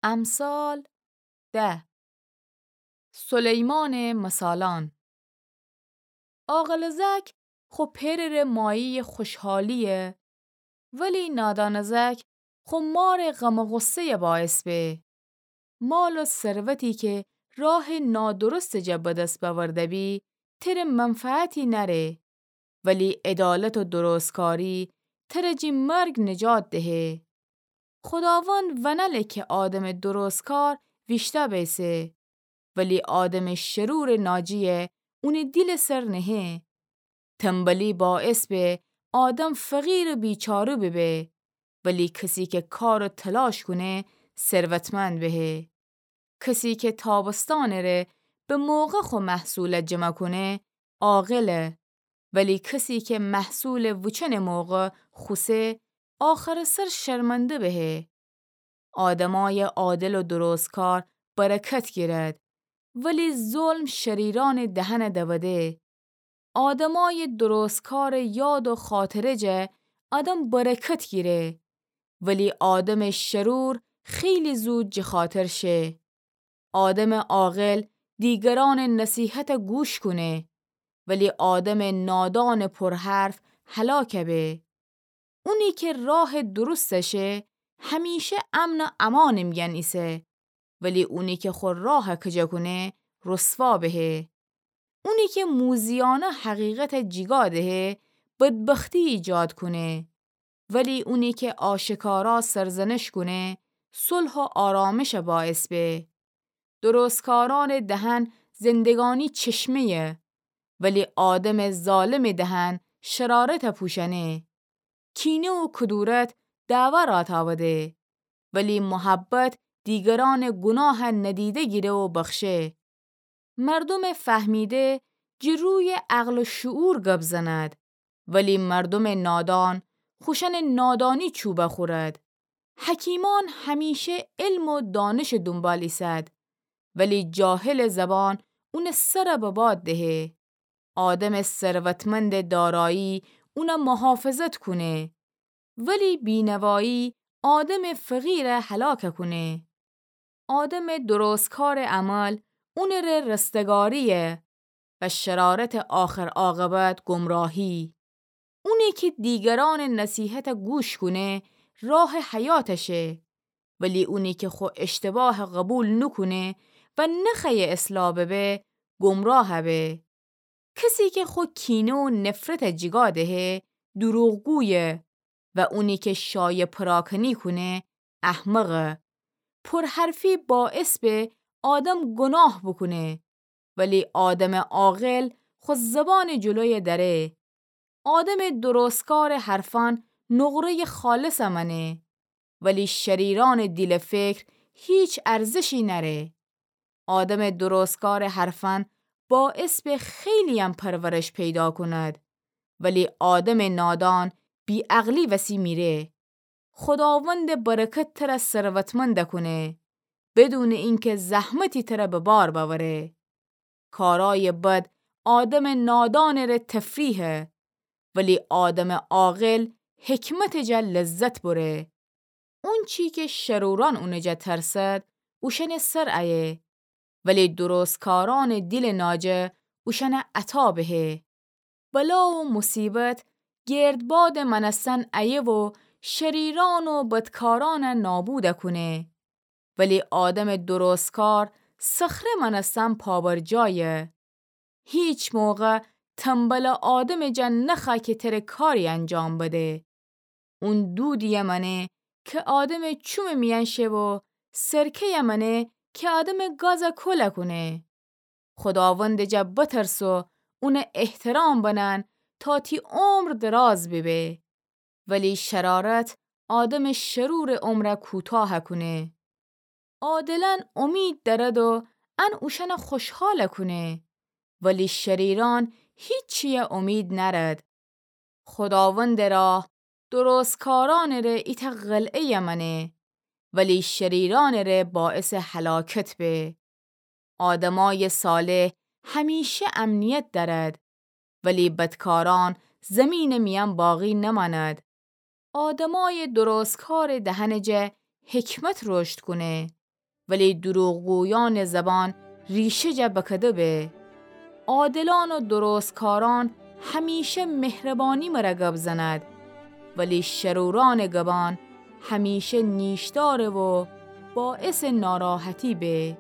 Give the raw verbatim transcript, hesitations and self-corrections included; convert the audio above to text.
امثال ده. سلیمانٚ مثالأن. عاقلٚ زأک خو پئرٚ ره مایه‌یٚ خوشحالی‌یه، ولی نادانٚ زأک خو مارٚ غم و غصه‌یٚ باعث به. مال و ثروتی کی راهٚ نادرستٚ جا به دس بأورده بی، تره منفعتی نأره، ولی عدالت و درستکاری تره جٚه مرگ نجات دهه. خوداوند ونله کی آدمٚ درستکار ویشتأ بیسه، ولی آدمٚ شرورٚ ناجی‌یه اونٚ دیلٚ سر نهه. تنبلی باعث به آدم فقیر و بیچاره ببه، ولی کسی کی کار و تلاش کونه، ثروتمند بهه. کسی کی تابستانٚ ره به موقع خو محصول جمع کونه، عاقله، ولی کسی کی محصول وچنٚ موقع خوسه، آخرٚ سر شرمنده بهه. آدمای عادل و درستکار برکت گیرد، ولی ظلم شریرانٚ دهن دوده. آدمای درستکارٚ یاد و خاطره جا آدم برکت گیره، ولی آدمٚ شرور خیلی زود جٚه خاطر شه. آدمٚ عاقل دیگرانٚ نصیحت گوش کونه، ولی آدمٚ نادانٚ پرحرف هلاک به. اونی کی راه درست شه، همیشه امن و امانٚ میأن ایسه، ولی اونی کی خو راه کجه کونه، رسوا بهه. اونی کی موذیانه حقیقت جیگا دهه، بدبختی ایجاد کونه، ولی اونی کی آشکارا سرزنش کونه، صلح و آرامش باعث به. درستکارانٚ دهن زندگانی چشمه‌یه، ولی آدمٚ ظالمٚ دهن شرارت پوشأنه. کینه و کدورت دعوا راه تاوده، ولی محبت دیگرانٚ گناه ندیده گیره و بخشه. مردمٚ فهمیده جٚه روی عقل و شعور گب زند، ولی مردمٚ نادان خوشأنٚ نادانی چوب خورد. حکیمان همیشه علم و دانشٚ دونبال ایسد، ولی جاهلٚ زبان اونٚ سر به باد دهه. آدمٚ ثروتمندٚ دارایی اون محافظت کونه، ولی بینوایی آدمٚ فقیر هلاک کونه. آدمٚ درستکارٚ عمل اونٚ ره رستگاری‌یه و شرارتٚ آخر عاقبت گمراهی. اونی کی دیگرانٚ نصیحت گوش کونه، راه حیات شه، ولی اونی کی خو اشتباه قبول نوکونه و نخوأیه اصلاح ببه، گمراه به. کسی کی خو کینه و نفرت جیگا دهه، دروغگویه و اونی کی شایه پراکنی کونه، احمقه. پرحرفی باعث به آدم گناه بوکونه، ولی آدمٚ عاقل خو زبانٚ جلوی دأره. آدمٚ درستکارٚ حرفأن نقره‌یٚ خالص مأنه، ولی شریرانٚ دیلٚ فکر هیچ ارزشی نأره. آدمٚ درستکارٚ حرفأن باعث به خیلی‌یم پرورش پیدا کند، ولی آدمٚ نادان بی‌عقلی وسی میره. خوداوندٚ برکت تر ثروتمند کونه، بدونٚ اینکه زحمتی تر به بار بأوره. کارأیٚ بد آدمٚ نادانٚ ره تفریحه، ولی آدمٚ عاقل حکمتٚ جا لذت بره. اونچی کی شرورأن اونٚ جا ترسد، اوشأنٚ سر ایه، ولی درستکارأنٚ دیلٚ ناجه اوشأن عطا بهه. بلا و مصیبت گردبادٚ مأنستن ایه و شریرأن و بدکارأن نابود کونه. ولی آدمٚ درستکار صخره مأنستن پابرجایه. هیچ موقع تنبلٚ آدمٚ جا نخوأ کی تر کاری انجام بده. اون دودیی مأنه کی آدمٚ چومٚ میأن شه و سرکه‌یی مأنه کی آدمٚ گاز کول کونه. خوداوندٚ جا بترس و اون احترام بنن تا تی عمر دراز بیبه. ولی شرارت آدمٚ شرورٚ عمر کوتاه کونه. عادلأن امید دأرد و ان اوشأن خوشحال کونه، ولی شریرأن هیچیی امید نأرد. خوداوندٚ راه درستکارأنٚ ره ایتأ قلعه‌یی مأنه، ولی شریرأنٚ ره باعثٚ هلاکت به. آدمأیٚ صالح همیشه امنیت دأرد، ولی بدکارأن زیمینٚ میأن باقی نمأند. آدمأیٚ درستکارٚ دهنٚ جا حکمت رشد کونه، ولی دروغگویأنٚ زبان ریشه جا بکده به. عادلأن و درستکارأن همیشه مهربانی مره گب زند، ولی شرورأنٚ گبان همیشه نیشداره و باعثٚ ناراحتی به.